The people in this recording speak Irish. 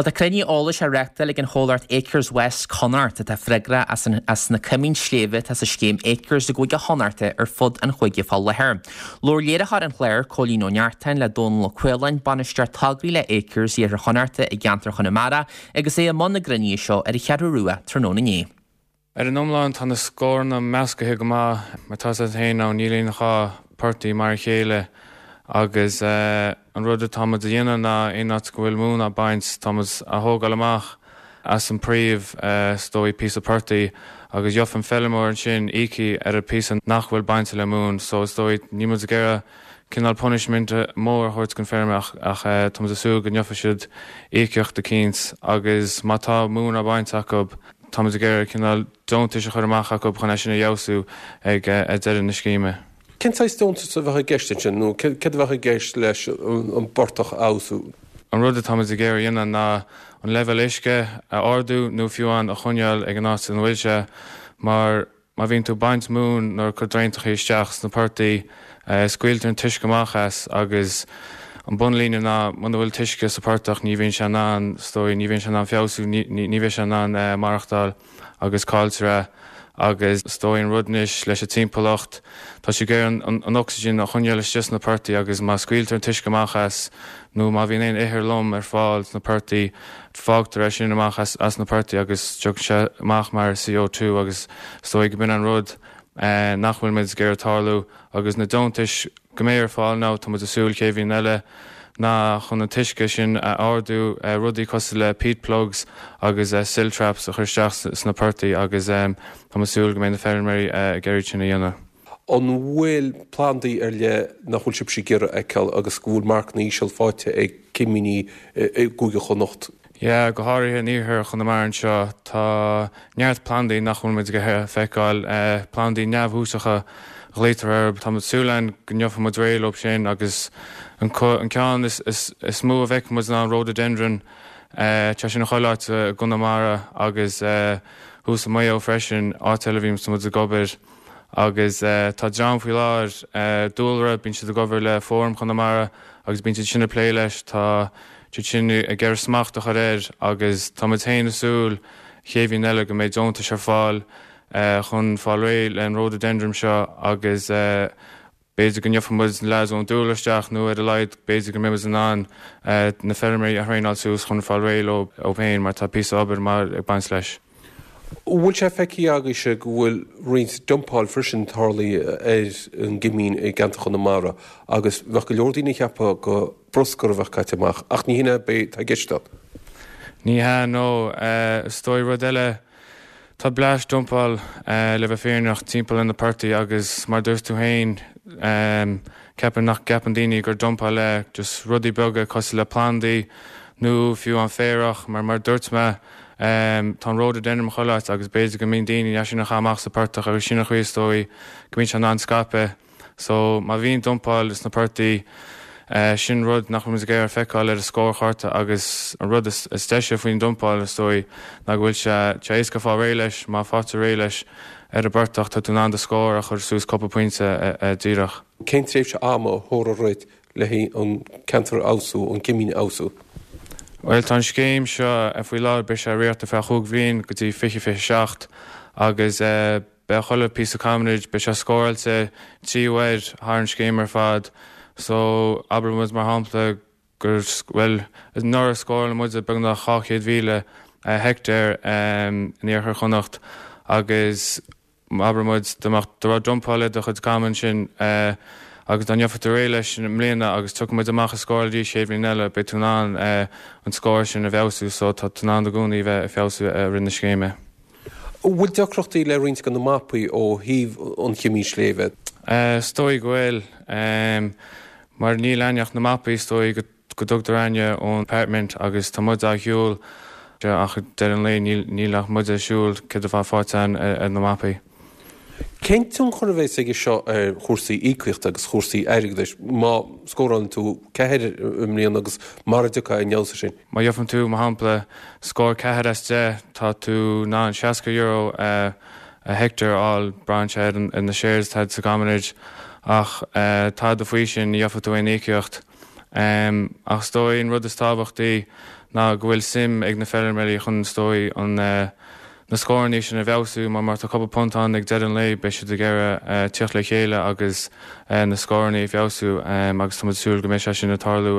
Bhuel, tá cruinniú eolais á reáchtáil ag an chomhlacht Acres West Connacht, atá freagrach as an as na coimín sléibhe atá sa scéim Acres i gCúige Chonnachta ar fud an chúige fá láthair. Labhair léiritheoir an chláir, Cóilín Ó Neachtain, le Dónal Ó Caoláin, Bainisteoir Tograí le Acres Iarthar Chonnachta i gceantar Chonamara, agus é i mbun na gcruinnithe seo ar an Cheathrú Rua tráthnóna inné. Ar an iomlán tá na scóranna meascaithe go maith, mar tá 's agat féin now níl aon dhá portaigh mar a chéile agus an rud atá muid a dhéanamh ná aon áit go bhfuil móin á baint tá muid á thógáil amach as an príomh is dóigh píosa portaigh agus gheobhaidh an feilmeoir ansin íocaíocht ar an píosa nach bhfuil bainte le móin so is dóigh níl muid ag iarraidh cineál punishment mór a thabhairt don feirmeoir ach tá muid ag súil go ngeobhaidh siad íocaíocht eicínt agus má tá móin á baint acu Táimid ag iarraidh cineál deontais a chur amach acu chun é sin a fheabhsú ag deireadh na scéime. Cén saghas deontas a bheadh i gceist ansin nó céard a bheadh i gceist leis an bportach a fheabhsú? An rud atáimid ag iarraidh a dhéanamh ná an leibhéal uisce a ardú nó fiú amháin a choinneáil ag an áit ina bhfuil sé mar Má bhíonn tú ag baint móin nó ag cur draentachaí isteach sna portaigh, scaoiltear an t-uisce amach as agus an bunlíne ná muna bhfuil t-uisce sa portach ní bhíonn sé in ann, is dóigh, ní bhíonn sé in ann feabhsú, ní bheidh sé in ann maireachtáil agus cailltear é. Agus is dóigh an rud anois leis an timpeallacht, tá sé ag iarraidh an ocsaigin a choinneáil istigh sna portaigh agus má scaoiltear an t-uisce amach as nó má bhíonn aon ithir lom ar fáil sna portaigh, Fágtar é sin amach as na portaigh agus tiocfaidh sé amach mar CO2 agus is dóigh go b'in an rud nach bhfuil muid ag iarraidh tarlú agus na deontais go mbeidh ar fáil now tá muid ag súil chéad bhliain eile ná chun an t-uisce sin a ardú, rudaí cosúil le peat plugs agus silt traps a chur isteach sna portaigh agus tá muid ag súil go mbeidh na feirmeoirí ag iarraidh sin a dhéanamh. An bhfuil plandaí ar leith nach bhfuil sibhse ag iarraidh a fheiceáil agus go bhfuil marcanna íseal faighte ag cimíní i gCúige Chonnacht? Yeah, go háirithe in iarthar Chonamara anseo, tá neart plandaí nach bhfuil muid ag iarraidh a feiceáil, plandaí neamhthúsacha a ghlaotar orthu. Tá muid ag súil ann go ngeobhaidh muid réidh leo sin agus an ceann is mó a bhfeiceann muid ná an rhododendron, tá sin chuile áit i gConamara agus thuas i Maigh Eo freisin, áit eile a bhíonns muid ag obair. Agus tá dream faoi láthair, Dúlra, bíonn siad ag obair le Fóram Chonamara agus bíonn siad sin ag plé leis, tá siad sin ag iarraidh smacht a chur air agus tá muid féin ag súil chéad bhliain eile go mbeidh deontais ar fáil chun fáil réidh le an rhododendron seo agus B'fhéidir go ngeobhaidh muid na leaids ón Dúlra isteach nó ar a laghad b'fhéidir go mbeidh muid in ann na feirmeoirí a thraenáil suas chun fáil réidh leo féin mar tá píosa obair maith ag baint leis. An bhfuil sé feicthe agaibhse go bhfuil roinnt dumpáil freisin tarlaithe ar an gcimín i gceantar Chonamara agus bheadh go leor daoine ag ceapadh go bruscar a bheadh caite amach ach ní hin é atá i gceist ann. Ní hea, no. Is dóigh rud eile Tá bleaist dumpáil, le bheith fírinneach, timpeall ar na portaigh agus mar dúirt tú féin, ceapaim nach gceapann daoine gur dumpáil é, just rudaí beaga cosúil le plandaí nó fiú an féarach mar mar dúirt mé, tá an rhododendron chuile áit agus b'fhéidir go mbíonn daoine é sin a chaitheamh amach sa portach agus sin an chaoi is dóigh go mbíonn sé in ann scaipeadh. So, má bhíonn dumpáil sna portaigh, sin rud nach bhfuil muid ag iarraidh feiceáil ar an scórchárta agus an rud is deise faoin dumpáil, is dóigh, ná go bhfuil sé sé éasca fáil réidh leis, má faightear réidh leis ar an bportach, tá tú in ann do scór a chur suas cúpla pointe díreach. Cén tréimhse ama a thabharfar ort le haghaidh an ceantar a fheabhsú, an cimín a fheabhsú? Bhuel, tá an scéim seo faoi láthair, beidh sé ag rith ar feadh chúig bhliain go dtí 2027 agus, Beidh chuile píosa commonage, beidh sé scóráilte trí uair thar an scéim ar fad. So, abair muid mar shampla gur, bhuel, anuraidh scóráil muid beagnach 200,000 heicteár in iarthar Chonnacht agus abair muid dá mbeadh, dá raibh dumpáil ar do chuid common sin agus dá ngeobhadh tú réidh leis i mbliana agus tiocfaidh muid amach ag scóráil arís chéad bhliain eile, beidh tú in ann an scór sin a bhfeabhsú so tá tú in ann i gcónaí bheith ag feabhsú i rith na scéime. An bhfuil deacrachtaí le roinnt de na mapaí ó thaobh an chimín sléibhe? Is dóigh go bhfuil. Mar níl againn ach na mapaí is dóigh go dtugtar againne ón Department agus tá muid á shiúl ach ag deireadh an lae níl ach muid ag siúl céard atá faighte againn ar na mapaí. Cén tionchar a bheas aige seo ar chúrsaí íocaíochta agus chúrsaí airgeadais má scórálann tú ceathair i mbliana agus mara dtiocfaidh aon fheabhas air sin? Má gheobhann tú, mar shampla, scór 4 as 10, tá tú in ann €60 a heicteár a fháil, braitheann sé ar na shares atá sa gcommonage, ach tada faoi sin, ní gheobhaidh tú aon íocaíocht. Ach is dóigh an rud is tábhachtaí. ná go bhfuil suim ag na feirmeoirí chun is dóigh an na scórannaí sin a bhfeabhsú mar má tá cúpla punt ann ag deireadh an lae beidh siad ag iarraidh tíocht le chéile agus na scórannaí a fheabhsú agus tá muid ag súil go mbeidh sé sin ag tarlú.